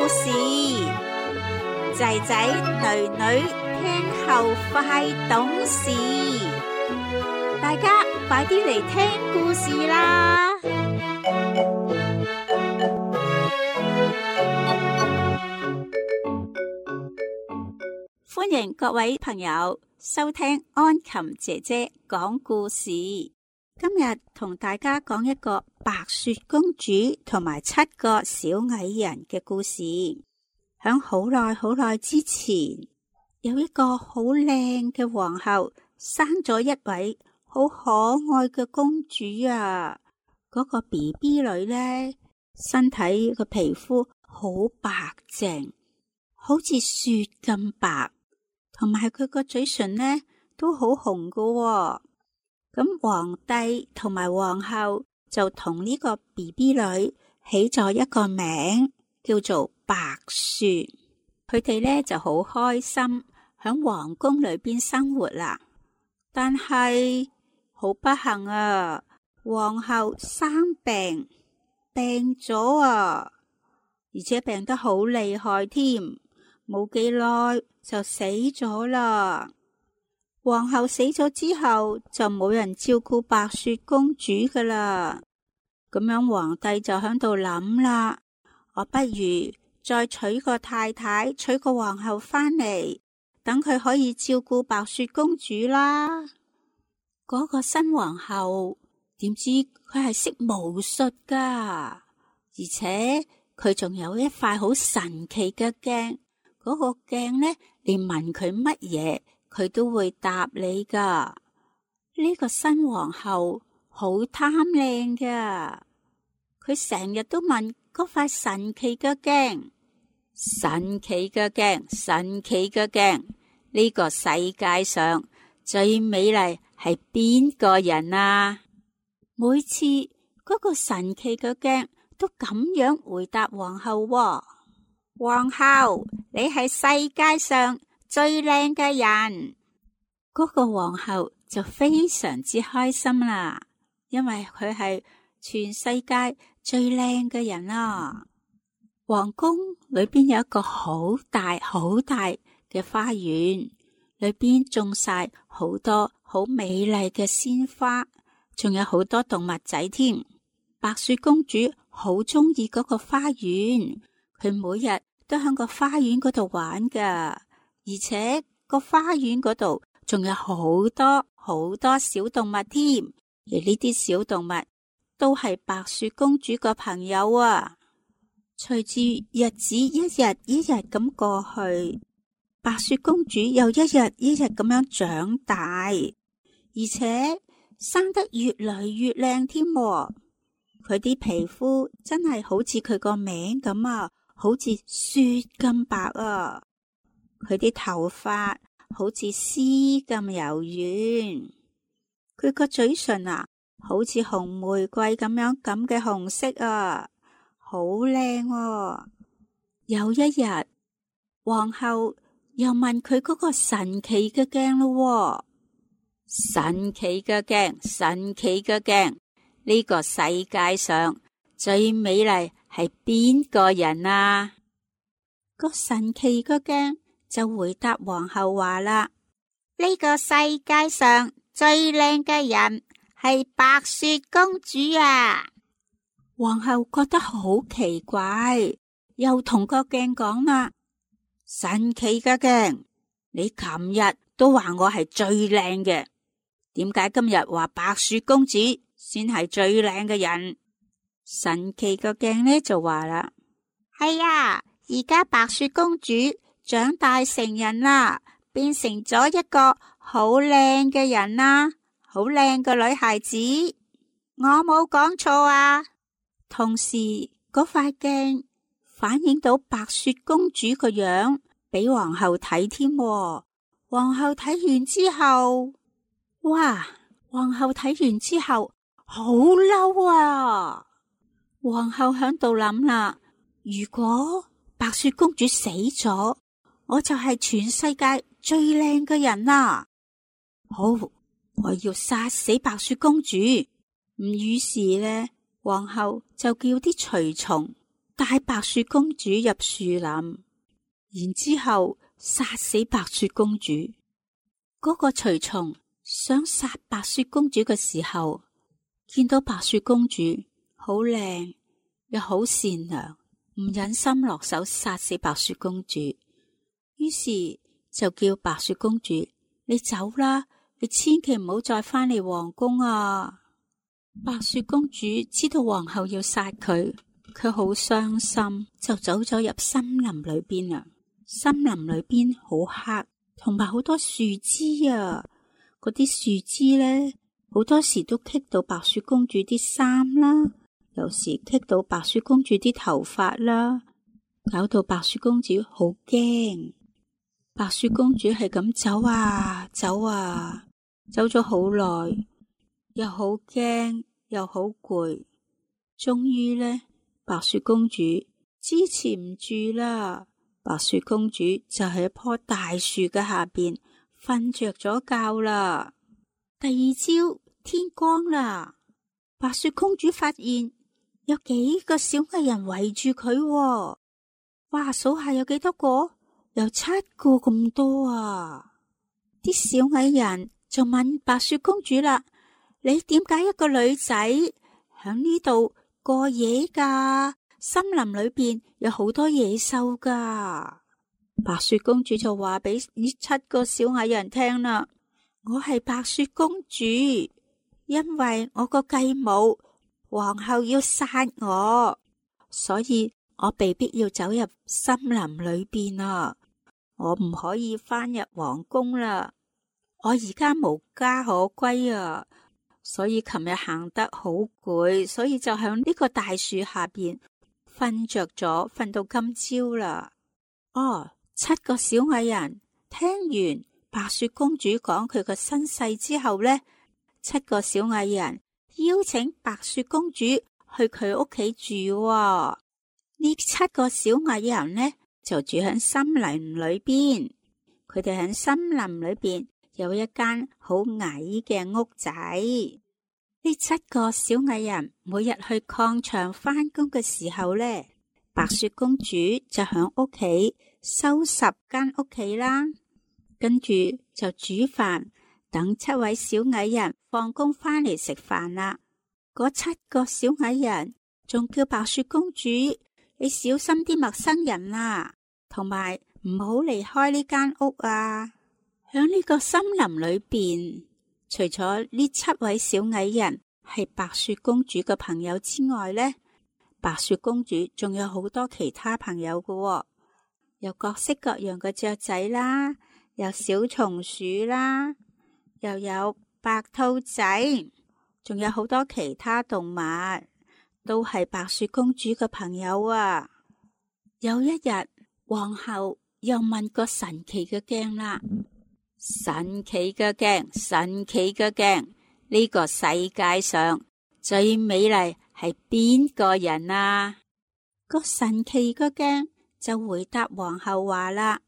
事，仔仔女女聽後快懂事，大家快啲嚟聽故事啦！歡迎各位朋友收聽安琴姐姐講故事。今日同大家講一個白雪公主同埋7個小矮人嘅故事。響好耐好耐之前，有一個好靚嘅皇后生咗一位好可愛嘅公主啊！嗰個 BB 女呢，身體個皮膚好白淨，好似雪咁白，同埋佢個嘴唇呢都好紅㗎喎。咁皇帝同埋皇后就同呢個 BB 女起咗一個名，叫做白雪。佢哋呢就好開心響皇宮裏邊生活啦。但係好不幸啊，皇后生病咗啊，而且病得好厲害添，冇幾耐就死咗啦。皇后死咗之後，就冇人照顧白雪公主噶啦。咁樣皇帝就喺度諗啦，我不如再娶個太太，娶個皇后返嚟，等佢可以照顧白雪公主啦。嗰個新皇后點知佢係識巫術噶，而且佢仲有一塊好神奇嘅鏡，嗰個鏡呢，你問佢乜嘢，佢都會答你噶。呢個新皇后好貪靚噶，佢成日都問嗰塊神奇嘅鏡，神奇嘅鏡，神奇嘅鏡，呢個世界上最美麗係邊個人啊？每次嗰個神奇嘅鏡都咁樣回答皇后喎，皇后，你係世界上最靚嘅人。嗰個皇后就非常之開心啦，因為佢係全世界最靚嘅人啊。皇宮裏邊有一個好大好大嘅花園，裏邊種晒好多好美麗嘅鮮花，仲有好多動物仔添。白雪公主好中意嗰個花園，佢每日都喺個花園嗰度玩噶，而且個花園嗰度仲有好多好多小動物添，而呢啲小動物都係白雪公主個朋友啊。隨住日子一日一日咁過去，白雪公主又一日一日咁樣長大，而且生得越嚟越靚添。佢啲皮膚真係好似佢個名咁啊，好似雪咁白啊。佢啲頭髮好似絲咁柔軟，佢個嘴唇啊，好似紅玫瑰咁嘅紅色啊，好靚啊。有一日，皇后又問佢嗰個神奇嘅鏡咯，神奇嘅鏡，神奇嘅鏡，呢個世界上最美麗係邊個人啊？個神奇嘅鏡就回答皇后話啦，呢個世界上最靚嘅人係白雪公主啊！皇后覺得好奇怪，又同個鏡講啦，神奇嘅鏡，你琴日都話我係最靚嘅，點解今日話白雪公主先係最靚嘅人？神奇嘅鏡呢就話啦，係啊，而家白雪公主長大成人啦，變成咗一個好靚嘅人啦，好靚嘅女孩子，我冇講錯啊。同時嗰塊鏡反映到白雪公主個樣俾皇后睇添。皇后睇完之後，哇！皇后睇完之後好嬲啊！皇后響度諗啦，如果白雪公主死咗，我就係全世界最靚嘅人啦。好，我要殺死白雪公主。於是呢，皇后就叫啲隨從帶白雪公主入樹林，然之後殺死白雪公主。嗰個隨從想殺白雪公主嘅時候，見到白雪公主好靚又好善良，唔忍心落手殺死白雪公主，於是就叫白雪公主，你走啦，你千祈唔好再返嚟皇宮啊！白雪公主知道皇后要殺佢，佢好傷心，就走咗入森林裏邊啊。森林裏邊好黑，同埋好多樹枝啊，嗰啲樹枝呢，好多時都棘到白雪公主啲衫啦，有時棘到白雪公主啲頭髮啦，搞到白雪公主好驚。白雪公主係咁走啊走啊，走咗好耐，又好驚又好攰，終於呢，白雪公主支持唔住啦。白雪公主就喺一棵大樹嘅下邊瞓着咗覺啦。第二朝天光啦，白雪公主發現有幾個小矮人圍住佢，哇，數下有幾多個？有7個咁多啊！啲小矮人就問白雪公主啦：你點解一個女仔響呢度過夜噶？森林裏邊有好多野獸噶。白雪公主就話俾呢7個小矮人聽啦：我係白雪公主，因為我個繼母皇后要殺我，所以我被逼要走入森林裏邊啊！我唔可以返入皇宮啦，我而家無家可歸啊！所以琴日行得好攰，所以就響呢個大樹下邊瞓着咗，瞓到今朝啦。哦，7個小矮人聽完白雪公主講佢個身世之後呢，7個小矮人邀請白雪公主去佢屋企住喎。呢7個小矮人呢，就住喺森林裏邊，佢哋喺森林裏邊有一間好矮嘅屋仔。呢7個小矮人每日去礦場返工嘅時候呢，白雪公主就喺屋企收拾間屋企啦，跟住就煮飯，等7位小矮人放工返嚟食飯啦。嗰7個小矮人仲叫白雪公主，你小心啲陌生人啊，同埋唔好離開呢間屋啊！響呢個森林裏邊，除咗呢7位小矮人係白雪公主嘅朋友之外呢，白雪公主仲有好多其他朋友㗎喎，有各式各樣嘅雀仔啦，有小松鼠啦，又有白兔仔，仲有好多其他動物，都係白雪公主嘅朋友啊！有一日，皇后又問個神奇嘅鏡啦：神奇嘅鏡，神奇嘅鏡，呢個世界上最美麗係邊個人啊？個神奇嘅鏡就回答皇后話啦：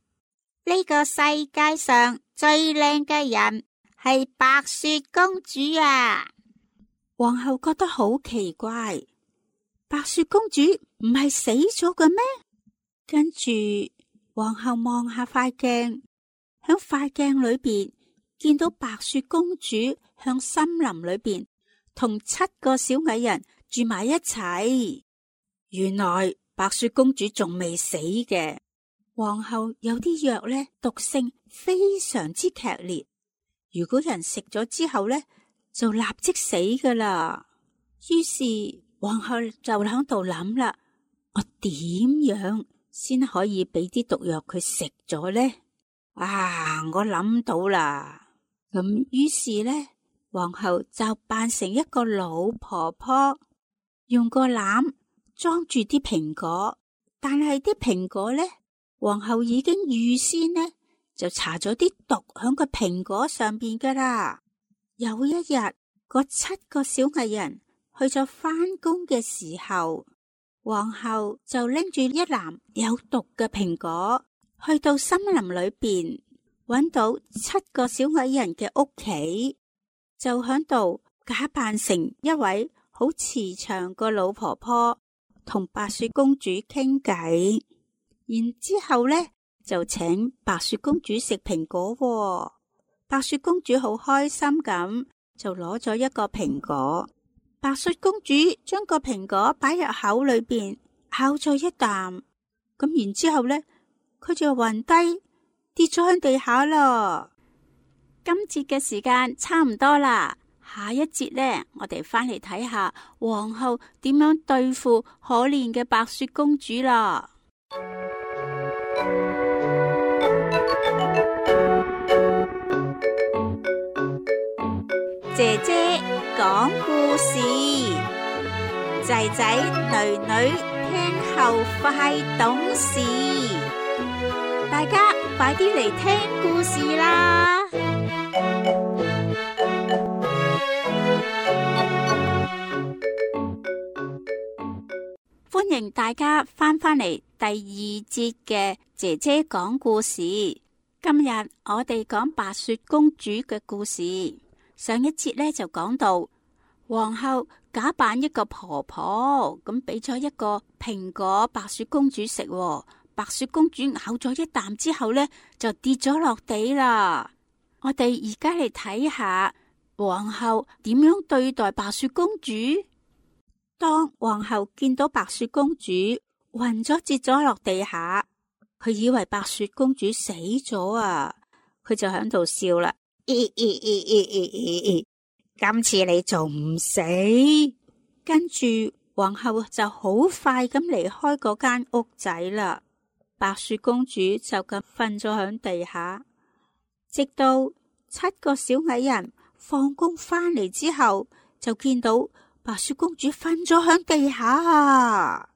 呢個世界上最靚嘅人係白雪公主啊！皇后覺得好奇怪，白雪公主唔係死咗嘅咩？跟住皇后望下塊鏡，響塊鏡裏邊見到白雪公主向森林裏邊同7個小矮人住埋一齊。原來白雪公主仲未死嘅。皇后有啲藥呢，毒性非常之劇烈，如果人食咗之後呢，就立即死噶啦。於是皇后就喺度諗啦，我點樣先可以俾啲毒藥佢食咗呢？啊，我諗到啦。咁於是呢，皇后就扮成一個老婆婆，用個籃裝住啲蘋果，但係啲蘋果呢，皇后已經預先呢就搽咗啲毒響個蘋果上邊噶啦。有一日，嗰7個小矮人去咗返工嘅時候，皇后就拎住一籃有毒嘅蘋果，去到森林裏邊，搵到7個小矮人嘅屋企，就響度假扮成一位好慈祥個老婆婆，同白雪公主傾偈，然之後呢就請白雪公主食蘋果喎。白雪公主好開心咁，就攞咗一個蘋果。白雪公主將個蘋果擺入口裏邊，咬咗一啖，咁然之後呢，佢就暈低，跌咗喺地下啦。今節嘅時間差唔多啦，下一節呢，我哋翻嚟睇下皇后點樣對付可憐嘅白雪公主啦。姐姐講故事，仔仔女女聽後快懂事，大家快啲嚟聽故事啦！歡迎大家翻嚟第二節嘅姐姐講故事。今日我哋講白雪公主嘅故事。上一節呢就講到皇后假扮一個婆婆，咁俾咗一個蘋果白雪公主食。白雪公主咬咗一啖之後呢，就跌咗落地啦。我哋而家嚟睇下皇后點樣對待白雪公主。當皇后見到白雪公主暈咗跌咗落地下，佢以為白雪公主死咗啊，佢就喺度笑啦。今次你仲唔死？跟住皇后就好快咁離開嗰間屋仔啦。白雪公主就咁瞓咗喺地下，直到7個小矮人放工翻嚟之後，就見到白雪公主瞓咗喺地下啊！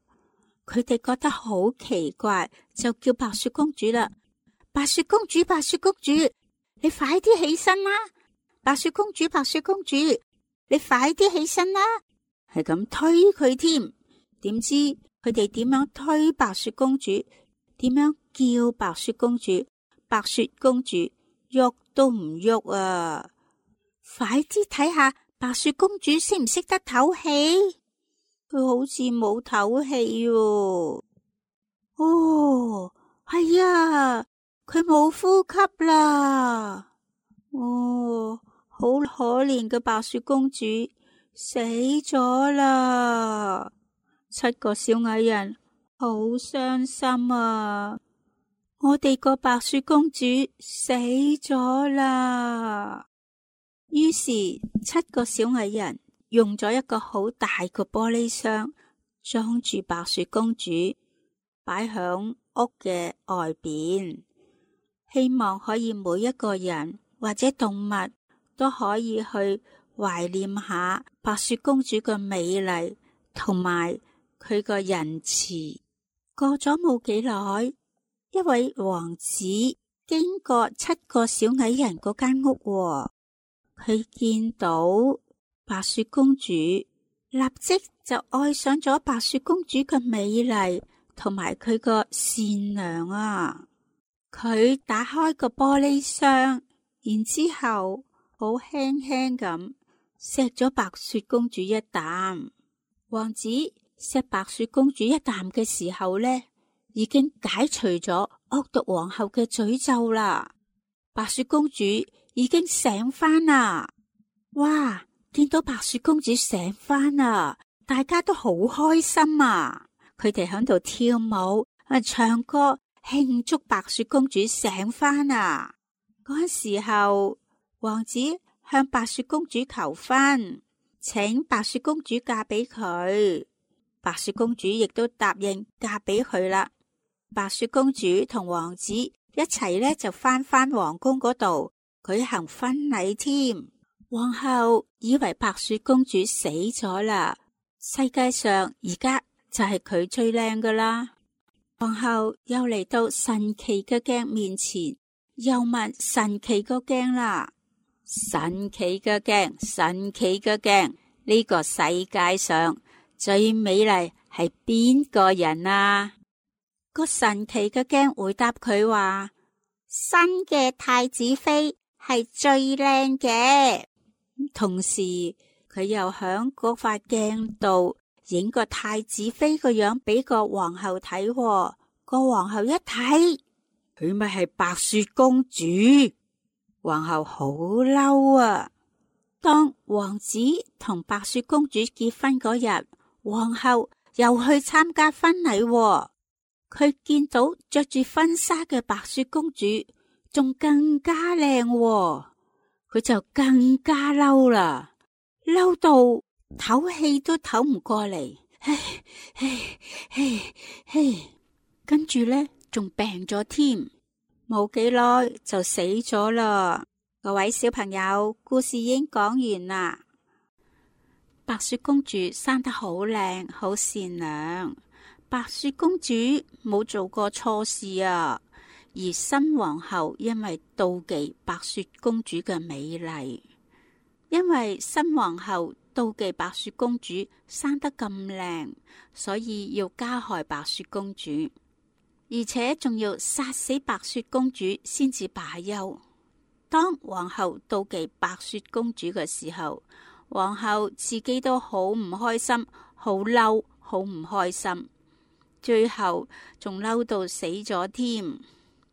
佢哋覺得好奇怪，就叫白雪公主啦。白雪公主，白雪公主，你快啲起身啦！白雪公主，白雪公主，你快啲起身啦！係咁推佢添。點知佢哋點樣推白雪公主？點樣叫白雪公主？白雪公主喐都唔喐啊！快啲睇下白雪公主識唔識得唞氣？佢好似冇唞氣喎。哦，係啊！佢冇呼吸啦！哦，好可憐嘅白雪公主死咗啦！7個小矮人好傷心啊！我哋個白雪公主死咗啦！於是7個小矮人用咗一個好大個玻璃箱裝住白雪公主，擺響屋嘅外邊。希望可以每一個人或者動物都可以去懷念下白雪公主嘅美麗同埋佢個仁慈。過咗冇幾耐，一位王子經過7個小矮人嗰間屋，佢見到白雪公主，立即就愛上咗白雪公主嘅美麗同埋佢個善良啊！佢打開個玻璃箱，然之後好輕輕咁錫咗白雪公主一啖。王子錫白雪公主一啖嘅時候呢，已經解除咗惡毒皇后嘅詛咒啦。白雪公主已經醒返啦！哇，見到白雪公主醒返啦，大家都好開心啊！佢哋喺度跳舞唱歌，慶祝白雪公主醒返啊！嗰時候，王子向白雪公主求婚，請白雪公主嫁俾佢。白雪公主亦都答應嫁俾佢啦。白雪公主同王子一齊呢，就返皇宮嗰度舉行婚禮添。皇后以為白雪公主死咗啦，世界上而家就係佢最靚噶啦。皇后又嚟到神奇嘅鏡面前，又問神奇個鏡啦：神奇嘅鏡，神奇嘅鏡，呢個世界上最美麗係邊個人啊？個神奇嘅鏡回答佢話：新嘅太子妃係最靚嘅。同時佢又響嗰塊鏡度影個太子妃個樣俾個皇后睇喎。個皇后一睇，佢咪係白雪公主。皇后好嬲啊！當王子同白雪公主結婚嗰日，皇后又去參加婚禮喎。佢見到着住婚紗嘅白雪公主仲更加靚喎，佢就更加嬲啦，嬲到唞氣都唞唔過嚟，跟住呢，仲病咗添，冇幾耐就死咗啦。各位小朋友，故事已經講完啦。白雪公主生得好靚，好善良。白雪公主冇做過錯事啊，而新皇后因為妒忌白雪公主嘅美麗，因為新皇后妒忌白雪公主生得咁靚，所以要加害白雪公主，而且仲要殺死白雪公主先至罷休。當皇后妒忌白雪公主嘅時候，皇后自己都好唔開心，好嬲，好唔開心。最後仲嬲到死咗添。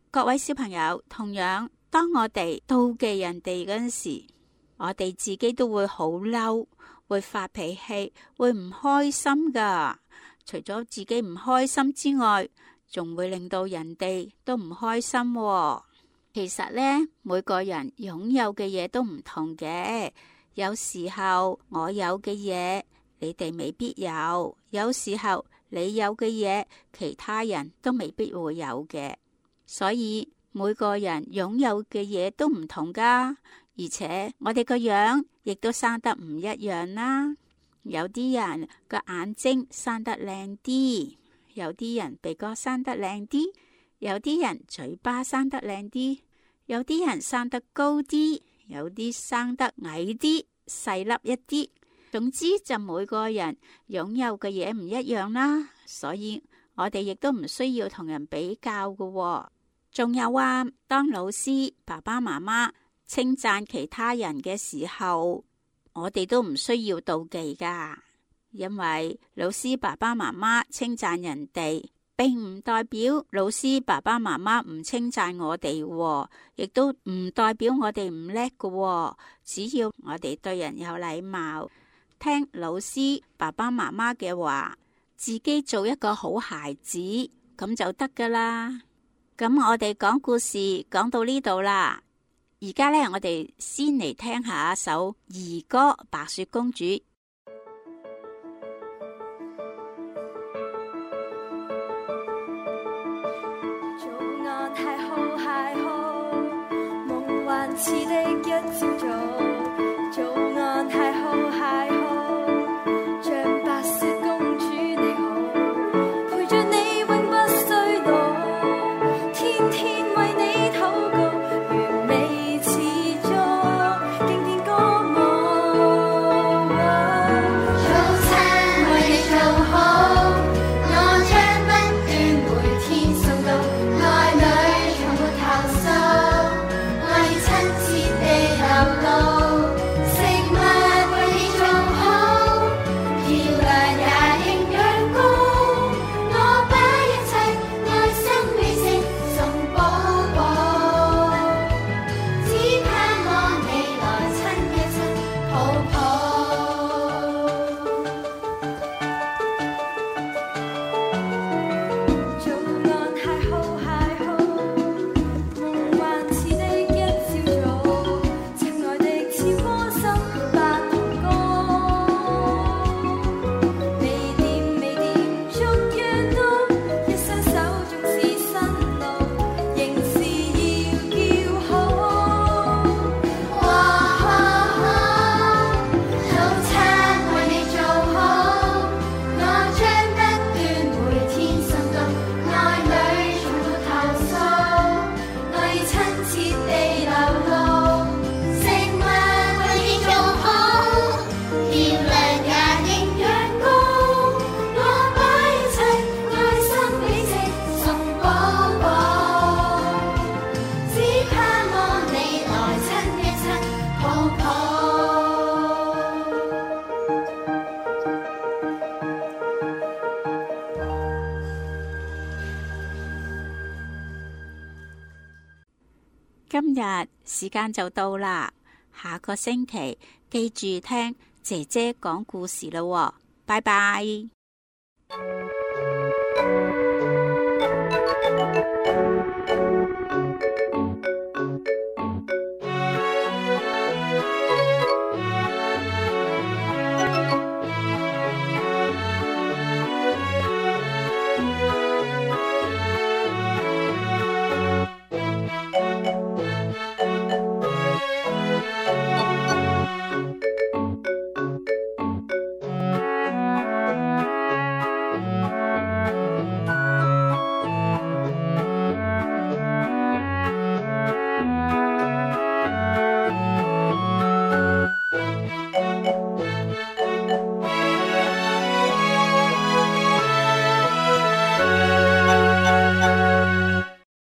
各位小朋友，同樣當我哋妒忌人哋嗰陣時，我哋自己都會好嬲，會發脾氣，會唔開心噶。除咗自己唔開心之外，仲會令到人哋都唔開心喎。其實呢，每個人擁有嘅嘢都唔同嘅。有時候我有嘅嘢，你哋未必有；有時候你有嘅嘢，其他人都未必會有嘅。所以每個人擁有嘅嘢都唔同噶，而且我哋個樣亦都生得唔一樣啦。有啲人個眼睛生得靚啲，有啲人鼻哥生得靚啲，有啲人嘴巴生得靚啲，有啲人生得高啲，有啲生得矮啲，細粒一啲。總之就每個人擁有嘅嘢唔一樣啦，所以我哋亦都唔需要同人比較㗎喎。仲有啊，當老師、爸爸媽媽稱讚其他人嘅時候，我哋都唔需要妒忌㗎，因為老師、爸爸媽媽稱讚人哋，並唔代表老師、爸爸媽媽唔稱讚我哋喎，亦都唔代表我哋唔叻㗎喎。只要我哋對人有禮貌，聽老師、爸爸媽媽嘅話，自己做一個好孩子，咁就得噶啦。咁我哋講故事講到呢度啦，而家呢，我哋先嚟聽下一首兒歌《白雪公主》。早安太后太后，夢幻似的一朝早。早安太后太后，像白雪公主你好，陪着你永不衰老，天天為你禱告，完美似作經典歌舞。早餐為你做好，我將不斷每天送到，愛裏從沒投訴，我要親切地流露。日時間就到啦，下個星期記住聽姐姐講故事啦喎，拜拜。